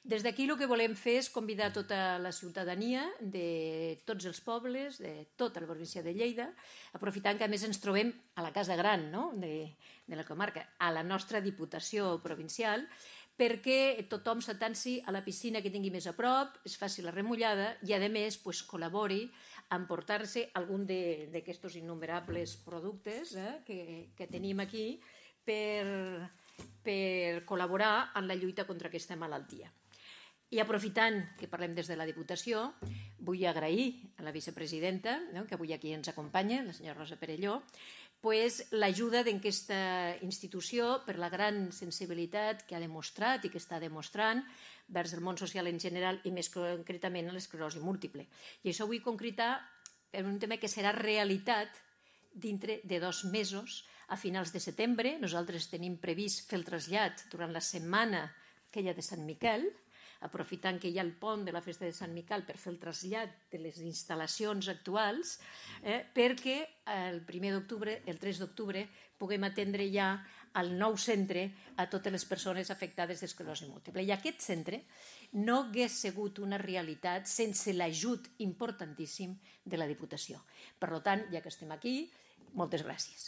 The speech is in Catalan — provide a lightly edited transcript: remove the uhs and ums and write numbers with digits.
Des d'aquí el que volem fer és convidar tota la ciutadania de tots els pobles, de tota la província de Lleida, aprofitant que a més ens trobem a la Casa Gran, no?, de la comarca, a la nostra Diputació Provincial, perquè tothom s'atansi a la piscina que tingui més a prop, es faci la remullada i, a més, col·labori en portar-se algun d'aquests innumerables productes que tenim aquí per col·laborar en la lluita contra aquesta malaltia. I aprofitant que parlem des de la Diputació, vull agrair a la vicepresidenta, que avui aquí ens acompanya, la senyora Rosa Perelló, l'ajuda d'aquesta institució per la gran sensibilitat que ha demostrat i que està demostrant vers el món social en general i més concretament a l'esclerosi múltiple. I això ho vull concretar en un tema que serà realitat dintre de 2 mesos. A finals de setembre nosaltres tenim previst fer el trasllat durant la setmana aquella de Sant Miquel, aprofitant que hi ha el pont de la festa de Sant Miquel per fer el trasllat de les instal·lacions actuals, perquè el 1 d'octubre, el 3 d'octubre, puguem atendre ja al nou centre a totes les persones afectades d'esclerosi múltiple. I aquest centre no hagués sigut una realitat sense l'ajut importantíssim de la Diputació. Per tant, ja que estem aquí, moltes gràcies.